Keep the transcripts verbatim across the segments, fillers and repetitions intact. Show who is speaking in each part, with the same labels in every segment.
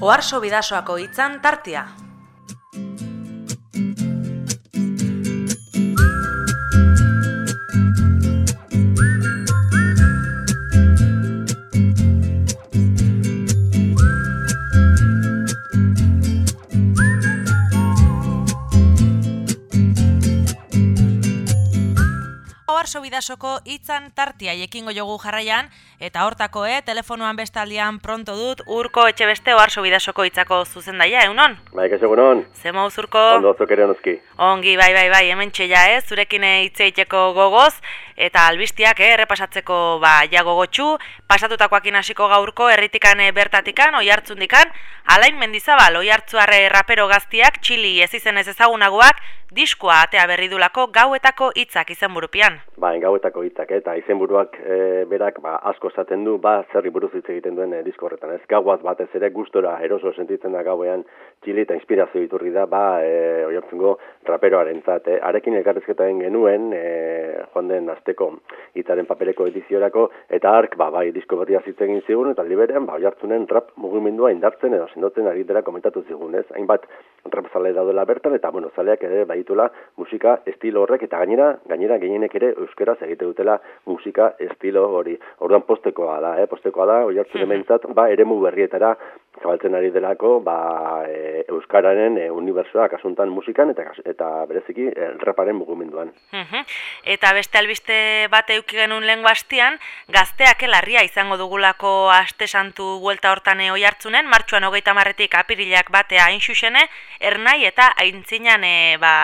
Speaker 1: Oharso Bidasoako hitzan tartea. Oharso Bidasoko hitzan tartia ekingo jogu jarraian, eta hortako, eh, telefonoan bestaldian pronto dut, Urko Etxebeste Oharso Bidasoko hitzako zuzendaia, egunon?
Speaker 2: Bai, kaixo egunon.
Speaker 1: Ze moduz, Urko?
Speaker 2: Ondo, zuk ere onozki.
Speaker 1: Ongi, bai, bai, bai, hemen txella, eh, zurekin hitz egiteko gogoz, eta albistiak, eh, errepasatzeko, ba, ja gogotxu, pasatutakoakin hasiko gaurko, herritikan bertatikan, oihartzundikan, Alain Mendizabal, oihartzuarre rapero gaztiak, Txili ez izenez ezagunagoak, diskoa atea berridulako gauetako hitzak izenburupian.
Speaker 2: Ba, gauetako hitzak, eta izenburuak e, berak ba, asko esaten du, ba, zerri buruz hitz egiten duen e, disko horretan. Ez gauaz batez ere gustora eroso sentitzen da gauean Txili eta inspirazio iturri da, ba, e, oihartzungo raperoarentzat. E, arekin elkarrizketa egin genuen, e, joan den asteko hitzaren papereko ediziorako, eta ark, ba, bai, disko berria hitz egin zigun, eta liberean, ba, oihartzunen rap mugimendua indartzen edo sendotzen ari dela komentatu zigun, ez? Hainbat rap zale daudela bertan, eta, bueno, zaleak ere, baitula musika estilo horrek, eta gainera, gainera gehienek ere euskaraz egite dutela musika estilo hori. Orduan postekoa da, eh? Postekoa da, oihartzun hementzat, ba, eremu berrietara zabaltzen ari delako, ba, e, euskararen e, unibertsoa kasuntan musikan, eta, eta bereziki e, raparen mugimenduan.
Speaker 1: Eta beste albiste bat euki genuen lehen bastian, gazteak elarria izango dugulako aste santu buelta hortan oihartzunen, martxuan hogeita marretik apirilak batea hain xusene, ernai eta aintzinan e, ba,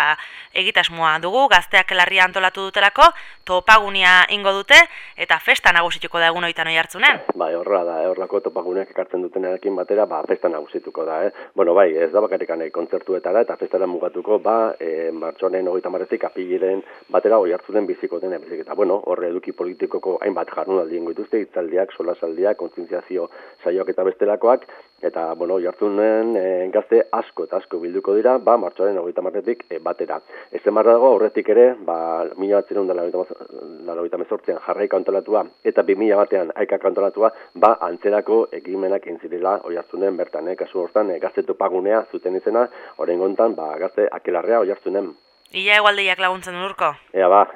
Speaker 1: egitasmoa dugu, gazteak elarria antolatu dutelako, topagunia ingo dute, eta festa nagusituko da egun oitan oihartzunen.
Speaker 2: Bai, horra da, eh? Horrako topaguneak ekartzen dutenarekin batera, ba, festa nagusituko da, eh? Bueno, bai, ez da bakarrikan kontzertuetara, eta festara mugatuko, ba, e, martxoaren hogeita marretik apirilen batera oihartzunen biziko den ebizik. Eta, bueno, horre eduki politikoko hainbat jardunaldi ingo dituzte, hitzaldiak, solasaldiak, kontzientziazio saioak eta bestelakoak, eta, bueno, oihartzunen e, gazte asko eta asko bilduko dira, ba, martxoaren hogeita marretik e, batera. Ez emarra dago, horretik ere, ba, mila batzerun dela hogeita mezortzean jarraika antolatua, eta bi mila batean haikak antolatua, ba, antzerako ekimenak intzirela oihartzunen bertan, eh? Kasu hortan, e, gazte topagunea zuten izena, oraingontan, ba, gazte akelarrea oihartzunen.
Speaker 1: Ia egualdeiak laguntzen Urko.
Speaker 2: Ea, ba.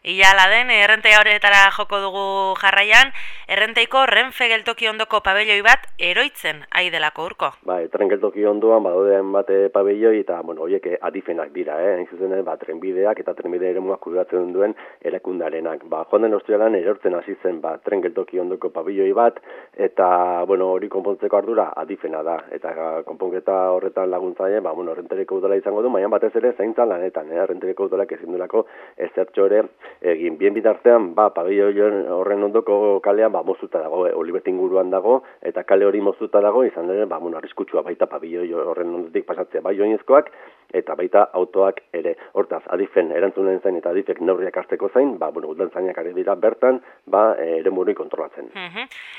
Speaker 1: Ia ala den, errentei horretara joko dugu jarraian, errenteiko Renfe geltoki ondoko pabelloi bat eroitzen ari delako, Urko.
Speaker 2: Bai, tren geltoki ondoan badaudean bate pabelloi eta, bueno, horiek adifenak dira, eh? Hain zuzen, ba, trenbideak eta trenbide eremuak kudeatzen duen erakundarenak. Ba, joan den ostialan erortzen hasi zen, ba, tren geltoki ondoko pabelloi bat, eta, bueno, hori konpontzeko ardura adifena da. Eta konponketa horretan laguntzaile, ba, bueno, rentereko udala izango du, baina batez ere zaintza lanetan, eh? Rentereko udalak ezin duelako ezertxo ere egin. Bien bitartean, ba, pabelloi horren ondoko kalean, ba, moztuta dago, eh? Olibet inguruan dago, eta kale hori moztuta dago, izan ere, ba, bueno, arriskutsua baita pabelloi horren ondotik pasatzea bai oinezkoak, eta baita autoak ere. Hortaz, adifen erantzunen zain eta adifek neurriak hartzeko zain, ba, bueno, udaltzainak ari dira bertan, ba, eremuri kontrolatzen.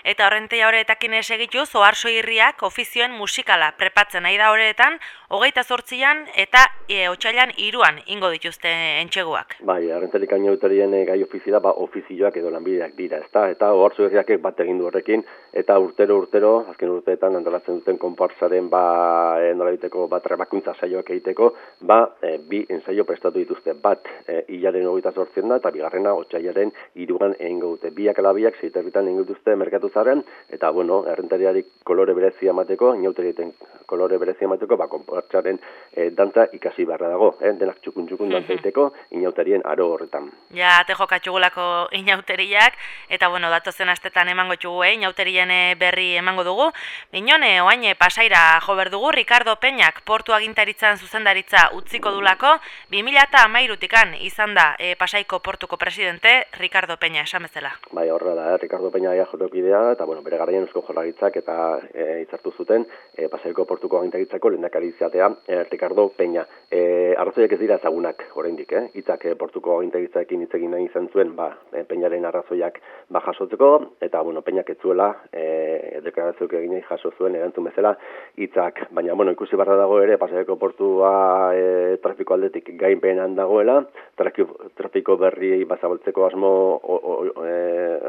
Speaker 1: Eta horrentea horretakin esegituz, Oharso Irriak ofizioen musikala prepatzen nahi da horretan, hogeita zortzian eta e, otsailan hiruan ingo dituzte entxeguak.
Speaker 2: Bai, arrentelik ainauterien gai ofizioa, ba, ofizioak edo lanbideak dira, ezta? Eta Oharso Irriak bat egin du horrekin, eta urtero urtero, azken urteetan antolatzen duten konparsaren, ba, e, nolabiteko, ba, trebakuntza saioak egiteko, ba, e, bi ensaio prestatu dituzte, bat e, hilaren hogeita zortzien da, eta bigarrena otsailaren hiruan egingo dute. Biak ala biak, zeiterritan egingo dituzte merkatu zaren, eta, bueno, errentariari kolore berezia emateko, inauterieten kolore berezia emateko, ba, konparsaren e, dantza ikasi beharra dago, eh? Denak txukun-txukun dantza egiteko, inauterien aro horretan.
Speaker 1: Ja, te jokatxugulako inauteriak, eta, bueno, datozen astetan emango txugu, eh? Inauterien berri emango dugu. Minone, oain pasaira jo berdugu, Ricardo Peñak portu agintaritzan zuzendaritza utziko dulako, bi mila hamairutikan izan da e, Pasaiko portuko presidente Ricardo Peña, esan bezala.
Speaker 2: Bai, horra da, eh? Ricardo Peña ja jotokidea, eta, bueno, bere garaian Eusko Jaurlaritzak eta e, hitzartu zuten e, Pasaiko portuko agintaritzako lehendakari izatea e, Ricardo Peña. E, arrazoiak ez dira ezagunak, oraindik, eh? Hitzak e, portuko agintaritzarekin hitz egin nahi izan zuen, ba, e, Peñaren arrazoiak ba jasotzeko, eta, bueno, Peñak ez zuela e, deklarazioak egin jaso zuen erantzun bezala hitzak, baina, bueno, ikusi barra dago ere Pasaiko portua ba, e, trafiko aldetik gainbeheran dagoela, trafiko, trafiko berri bazabaltzeko asmo,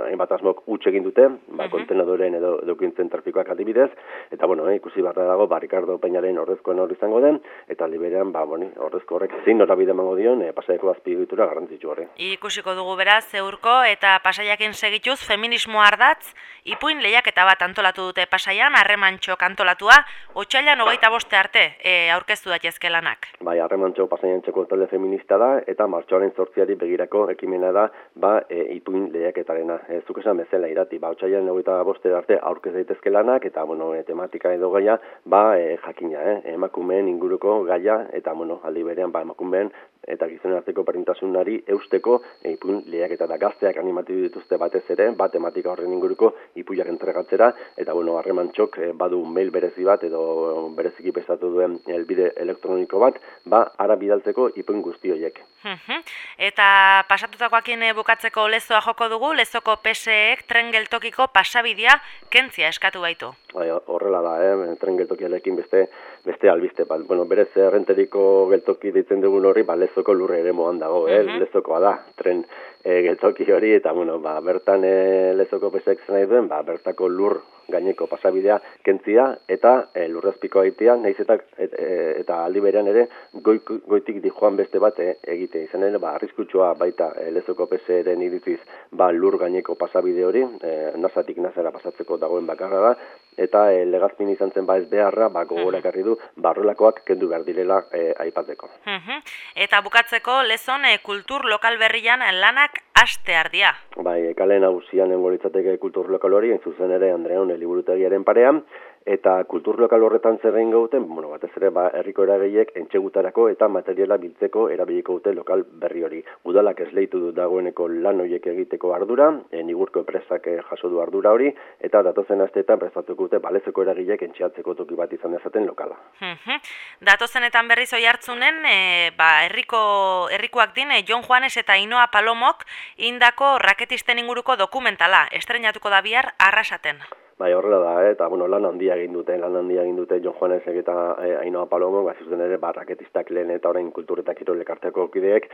Speaker 2: hainbat e, asmok utxe egin dute, ba, kontenadoren edo edukintzen trafikoak adibidez, eta bueno, e, ikusi barra dago, ba, Ricardo Peñaren ordezkoen hori izango den, eta liberean, ba, bueno, ordezko horrek zein norabide emango dion, e, Pasaiako azpiegitura garrantzitsu horri.
Speaker 1: Ikusiko dugu beraz, Zeurko eta Pasaiakin segituz feminismo ardatz, ipuin lehiaketa bat antolatu dute Pasaian, Harremantxok antolatua, otsailean hogeita boste arte e, aurkeztu daitezke lanak.
Speaker 2: Bai, Harremantxo Pasaiantxoko talde feminista da, eta martxoaren zortziari begirako ekimena da, ba, e, ipuin lehiaketarena. E, zuk esan bezala irati, ba, otsailean hogeita boste arte aurkez daitezke lanak, eta, bueno, e, tematika edo gaia, ba, e, jakina, eh? emakumeen inguruko gaia, eta, bueno, aldi berean, ba, emakumeen eta gizonen arteko berdintasunari eusteko e, ipuin lehiaketa da gazteak animatu dituzte batez ere, ba, tematika horren inguruko ipuiak entregatzera, eta, bueno, Harremantxok e, badu mail berezi bat, edo bereziki prestatu duen helbide elektroniko bat, ba, ara bidaltzeko ipuin guzti horiek.
Speaker 1: Eta pasatutakoakin bukatzeko lezoa joko dugu, lezoko P S E-ek tren geltokiko pasabidea kentzia eskatu baitu.
Speaker 2: Bai, horrela da, eh? tren geltokialekin beste beste albiste, ba, bueno, berez errenteriko geltoki ditzen dugun horri, ba, lezoko lurre ere moan dago, eh? Uh-huh. Lezokoa da, tren e, geltoki hori, eta, bueno, ba, bertan e, lezoko P S E-ek nahi duen, ba, bertako lur gaineko pasabidea kentzia, eta e, lurrazpiko aitea, nahiz eta, et, e, eta aldi berean ere, goi, goitik dijoan beste bat e, egite izan ere, ba, arriskutsua baita e, lezoko P S E-ren iritziz, ba, lur gaineko pasabide hori, e, nazatik nazara pasatzeko dagoen bakarra da, eta e, legazpin izan zen ba ez beharra, ba, gogorakarri du, barrolakoak kendu behar direla e, aipatzeko.
Speaker 1: Eta bukatzeko, lezon e, kultur lokal berrian lanak aste ardia.
Speaker 2: Bai, kale nagusian engolitzateke kultur lokal hori, zuzen ere Andreon liburutegiaren parean, eta kultur lokal horretan zer egin gauten, bueno, batez ere, ba, herriko eragileek entxegutarako eta materiala biltzeko erabiliko dute lokal berri hori. Udalak esleitu du dagoeneko lan horiek egiteko ardura, e, Nigurko enpresak jaso du ardura hori, eta datozen asteetan prestatuko dute balezeko eragileek entxeatzeko toki bat izan dezaten lokala.
Speaker 1: Datozenetan berriz oi hartzunen, e, ba, herriko herrikoak din, e, Jon Juanes eta Inoa Palomok indako raketisten inguruko dokumentala, estrenatuko da bihar Arrasaten.
Speaker 2: Bai, horrela da, eh? eta bueno, lan handia egin dute, lan handia egin dute Jon Juanesek eta eh, Ainoa Palomo, ba, zuzen ere, ba, raketistak lehen eta orain kultur eta kirol elkarteko kideek,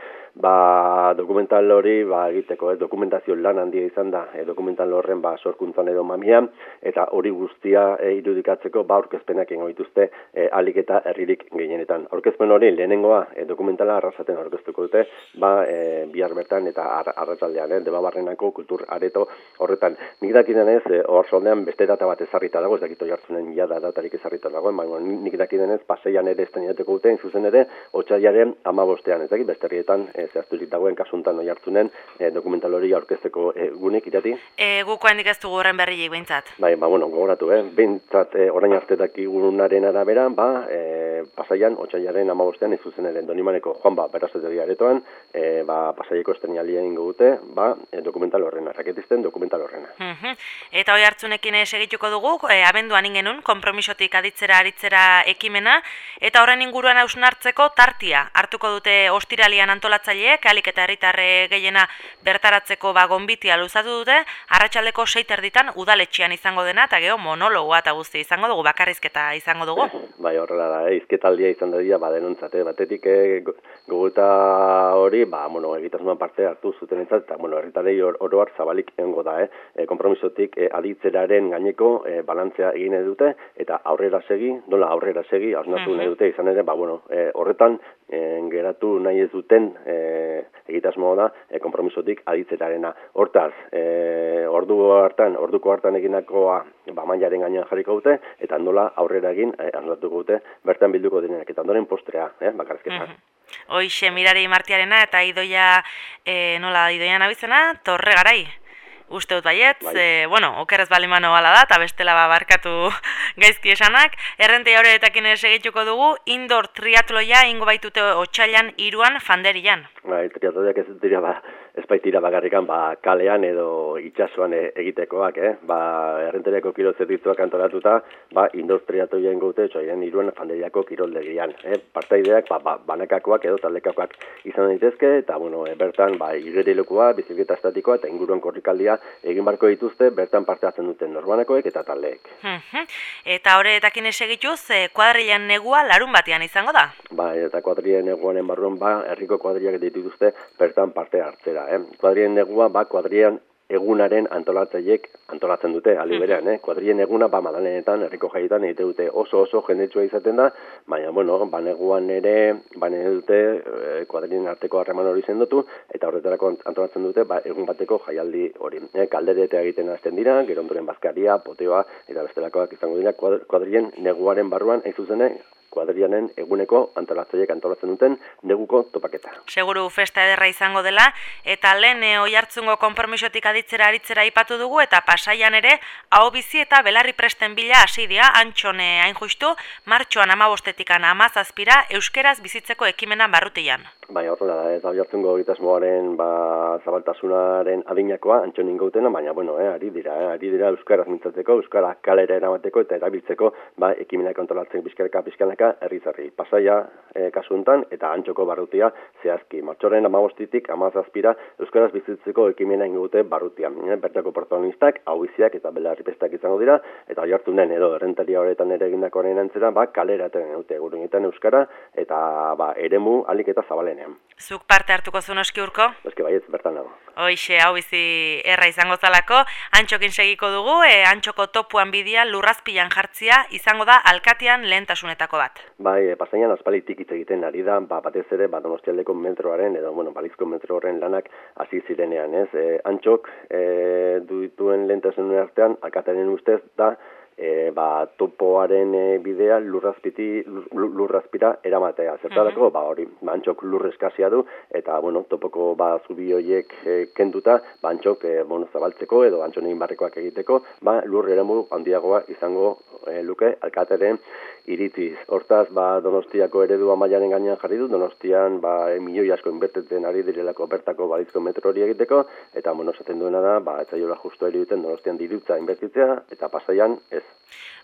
Speaker 2: ba, dokumental hori, ba, egiteko, eh? dokumentazio lan handia izan da, eh? dokumental horren, ba, sorkuntzan edo mamian, eta hori guztia eh, irudikatzeko, ba, aurkezpenak ingo dituzte, eh, alik eta herririk gehienetan. Aurkezpen hori, lehenengoa, eh, dokumentala Arrasaten aurkeztuko dute, ba, eh, bihar bertan eta ar arratsaldean, eh? Debabarrenako kultur areto horretan. Nik dakidenez, eh, hor soldean, beste data bat ezarrita dago, ez dakito jartzunen jada datarik ezarrita dagoen, baina nik dakidenez Pasaian ere estrenatuko duten, zuzen ere, otsailaren hamabostean, ez dakit, beste herrietan e, zehazturik dagoen kasuntan oi hartzunen e, dokumental hori aurkezteko e, gunik irati?
Speaker 1: E, guko handik ez dugu horren berriik behintzat.
Speaker 2: Bai, ba, bueno, gogoratu, eh? behintzat e, orain arte dakigunaren arabera, ba, e, Pasaian, otsailaren hamabostean, ez zuzen ere, Donimaneko Juanba berazategia aretoan, e, ba, Pasaiako estrenalia ingo dute, ba, e, dokumental horrena, raketisten dokumental horrena.
Speaker 1: Uh-huh. Eta oi hartzunekin segituko dugu, e, abenduan ingenun, konpromisotik aditzera aritzera ekimena, eta horren inguruan hausnartzeko tartia. Hartuko dute ostiralian antolatzaileek, alik eta herritarre gehiena bertaratzeko ba, gonbitia luzatu dute, arratsaldeko sei terditan udaletxean izango dena, eta geho monologoa eta guzti izango dugu, bakarrizketa izango dugu.
Speaker 2: Bai, horrela da, eh? izketaldia izan da dira, ba, denontzat, eh? batetik eh, gogota hori, ba, bueno, egitasmoan parte hartu zuten entzat, eta, bueno, herritarrei or, oroar zabalik egongo da, eh? E, konpromisotik eh, aditzeraren gaineko e, balantzea egin dute, eta aurrera segi, nola aurrera segi, hausnatu nahi dute, izan ere, ba, bueno, e, horretan, e, geratu nahi ez duten e, egitasmoa da, e, konpromisotik aditzerarena. Hortaz, e, ordu hartan, orduko hartan eginakoa, ba, mailaren gainean jarriko dute, eta nola aurrera egin, e, hausnatuko dute, bertan bilduko denenak, eta ondoren postrea, eh, bakarrizketa.
Speaker 1: Hoixe, Mirari Martiarena, eta Idoia, e, nola, Idoia nabizena, Torre Garai. Uste dut baiet, bai. e, bueno, okerez balimano bala da, eta bestela barkatu gaizki esanak. Errentei horretakin ere segituko dugu, indoor triatloia ingo baitute otsailan hiruan Fanderian.
Speaker 2: Bai, triatloiak ez dira, ba, ez baitira bakarrikan, ba, kalean edo itsasoan egitekoak, eh? Ba, errenteriako kirol zerbitzuak antolatuta, ba, indoor triatloia ingo dute otsailan hiruan Fanderiako kiroldegian, eh? Partaideak, ba, ba, banakakoak edo taldekakoak izan daitezke, eta, bueno, e, bertan, ba, igerilekoa, bizikleta estatikoa, eta inguruan korrikaldia egin barko dituzte bertan parte hartzen duten norbanakoek eta taldeek.
Speaker 1: Eta horretakin esegituz, kuadrilan negua larun batean izango da?
Speaker 2: Ba, eta kuadrilan neguanen barruan ba, herriko kuadrilak dituzte bertan parte hartzera. Eh? Kuadrilan negua ba, kuadrilan egunaren antolatzaileek antolatzen dute, aldi berean, eh? Kuadrilen eguna, ba, madalenetan, herriko jaietan egite dute oso oso jendetsua izaten da, baina, bueno, ba, neguan ere, ba, nire dute, eh, kuadrilen arteko harreman hori zendotu, eta horretarako antolatzen dute, ba, egun bateko jaialdi hori. Eh? Kalderete egiten hasten dira, gero ondoren bazkaria, poteoa, eta bestelakoak izango dira, kuadrilen neguaren barruan, ez zuzene, kuadrilanen eguneko antolatzaileek antolatzen duten neguko topaketa.
Speaker 1: Seguru festa ederra izango dela, eta lehen Oiartzungo konpromisotik aditzera aritzera aipatu dugu, eta Pasaian ere, hau bizi eta belarri presten bila hasi dira, antxone hain justu, martxoan amabostetikan amazazpira, euskeraz bizitzeko ekimena barrutian.
Speaker 2: Bai, horrela da, eta Oiartzungo egitasmoaren ba, zabaltasunaren adinakoa antxonin gautena, baina, bueno, eh, ari dira, eh, ari dira euskaraz mintzatzeko, euskara kalera eramateko eta erabiltzeko, ba, ekimenak antolatzen bizkarka bizkanaka herri-herri. Pasaia eh, kasu honetan eta antxoko barrutia zehazki. Martxoren amabostitik amazazpira euskaraz bizitzeko ekimena ingute barrutian. Eh, bertako protagonistak, hauiziak eta belarripestak izango dira, eta Oiartzunen edo errentaria horretan ere egindakoaren antzera, ba, kalera eten dute gurunetan euskara, eta ba, eremu alik eta zabalenean.
Speaker 1: Zuk parte hartuko zu noski Urko?
Speaker 2: Eske baietz bertan dago.
Speaker 1: Hoixe, hau bizi erra izango zalako, antxokin segiko dugu, e, antxoko topuan bidia lurrazpilan jartzia izango da alkatean lehentasunetako bat.
Speaker 2: Bai, e, Pasaian aspalitik hitz egiten ari da, ba, batez ere, ba, Donostialdeko metroaren, edo, bueno, balizko metro horren lanak hasi zirenean, ez? E, antxok e, dituen lehentasunen artean, alkatearen ustez da, E, ba, topoaren e, bidea lurrazpiti, lur, lurrazpira eramatea. Zertarako, ba, hori, ba, antxok lur eskasia du, eta, bueno, topoko ba, zubi horiek e, kenduta, ba, antxok, e, bueno, zabaltzeko, edo antxonein barrekoak egiteko, ba, lur eremu handiagoa izango e, luke alkateren iritziz. Hortaz, ba, Donostiako eredua mailaren gainean jarri du, Donostian, ba, e, milioi asko inbertetzen ari direlako bertako balizko metro hori egiteko, eta, bueno, esaten duena da, ba, etzaiola justu duten Donostian dirutza inbertitzea, eta Pasaian ez.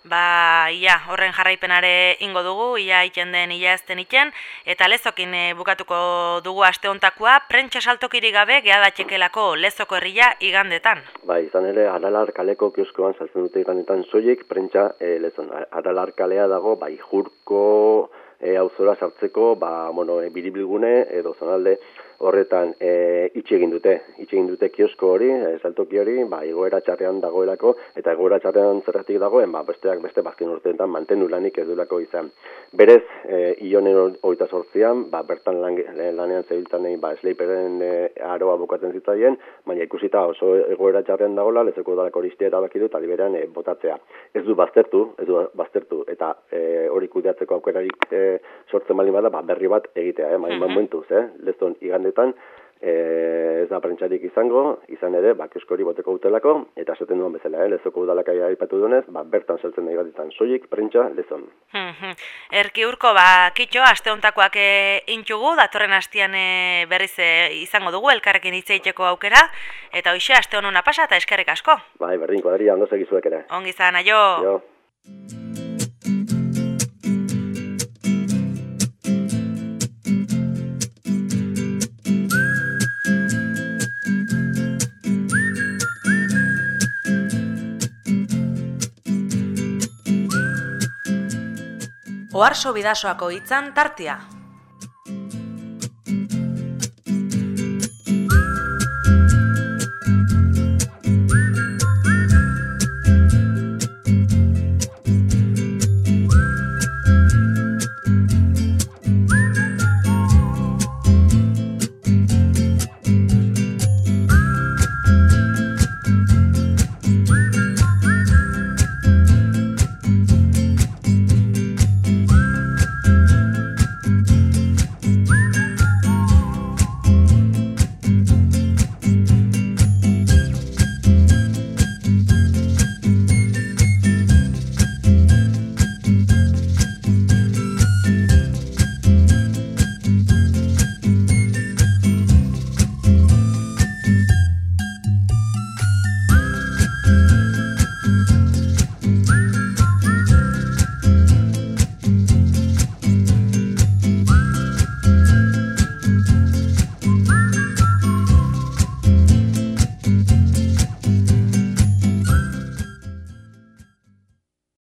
Speaker 1: Ba, ia, horren jarraipenare ingo dugu, ia iten den, ia ezten iten, eta lezokin e, bukatuko dugu aste hontakoa, prentsa saltokiri gabe gehadatxekelako lezoko herria igandetan.
Speaker 2: Ba, izan ere, Aralar kaleko kioskoan saltzen dute igandetan soilik, prentsa e, lezon. Aralar kalea dago, ba, Ijurko e, auzora sartzeko, ba, bueno, e, biribilgune edo zonalde horretan e, itxe egin dute, itxe egin dute kiosko hori, e, saltoki hori, ba, egoera txarrean dagoelako, eta egoera txarrean zerratik dagoen, ba, besteak beste bazken urteetan mantendu lanik ez duelako izan. Berez, e, ionen hogeita sortzian, ba, bertan lan, lanean zebiltzanei, ba, Sleiperen e, aroa bukatzen zitzaien, baina ikusita oso egoera txarrean dagoela, lezeko udalako horistia erabaki du, eta liberan e, botatzea. Ez du baztertu, ez du baztertu, eta e, hori kudeatzeko aukerarik e, sortzen bali bada, ba, berri bat egitea, eh, main momentuz, eh, lezon igandetan, e, ez da prentsarik izango, izan ere, ba, kiosko hori boteko utelako, eta esaten duen bezala, eh, lezoko udalakai aipatu duenez, ba, bertan saltzen nahi batetan soilik, prentsa, lezon.
Speaker 1: Erki Urko, ba, kitxo, aste hontakoak e, intxugu, datorren hastian e, berriz e, izango dugu, elkarrekin hitz egiteko aukera, eta hoxe, aste honuna pasa, eta eskerrik asko.
Speaker 2: Bai, berdin, kuadria, ondo segizuek ere.
Speaker 1: Ongi zan, aio.
Speaker 2: Jo.
Speaker 1: Oharso Bidasoako hitzan tartia.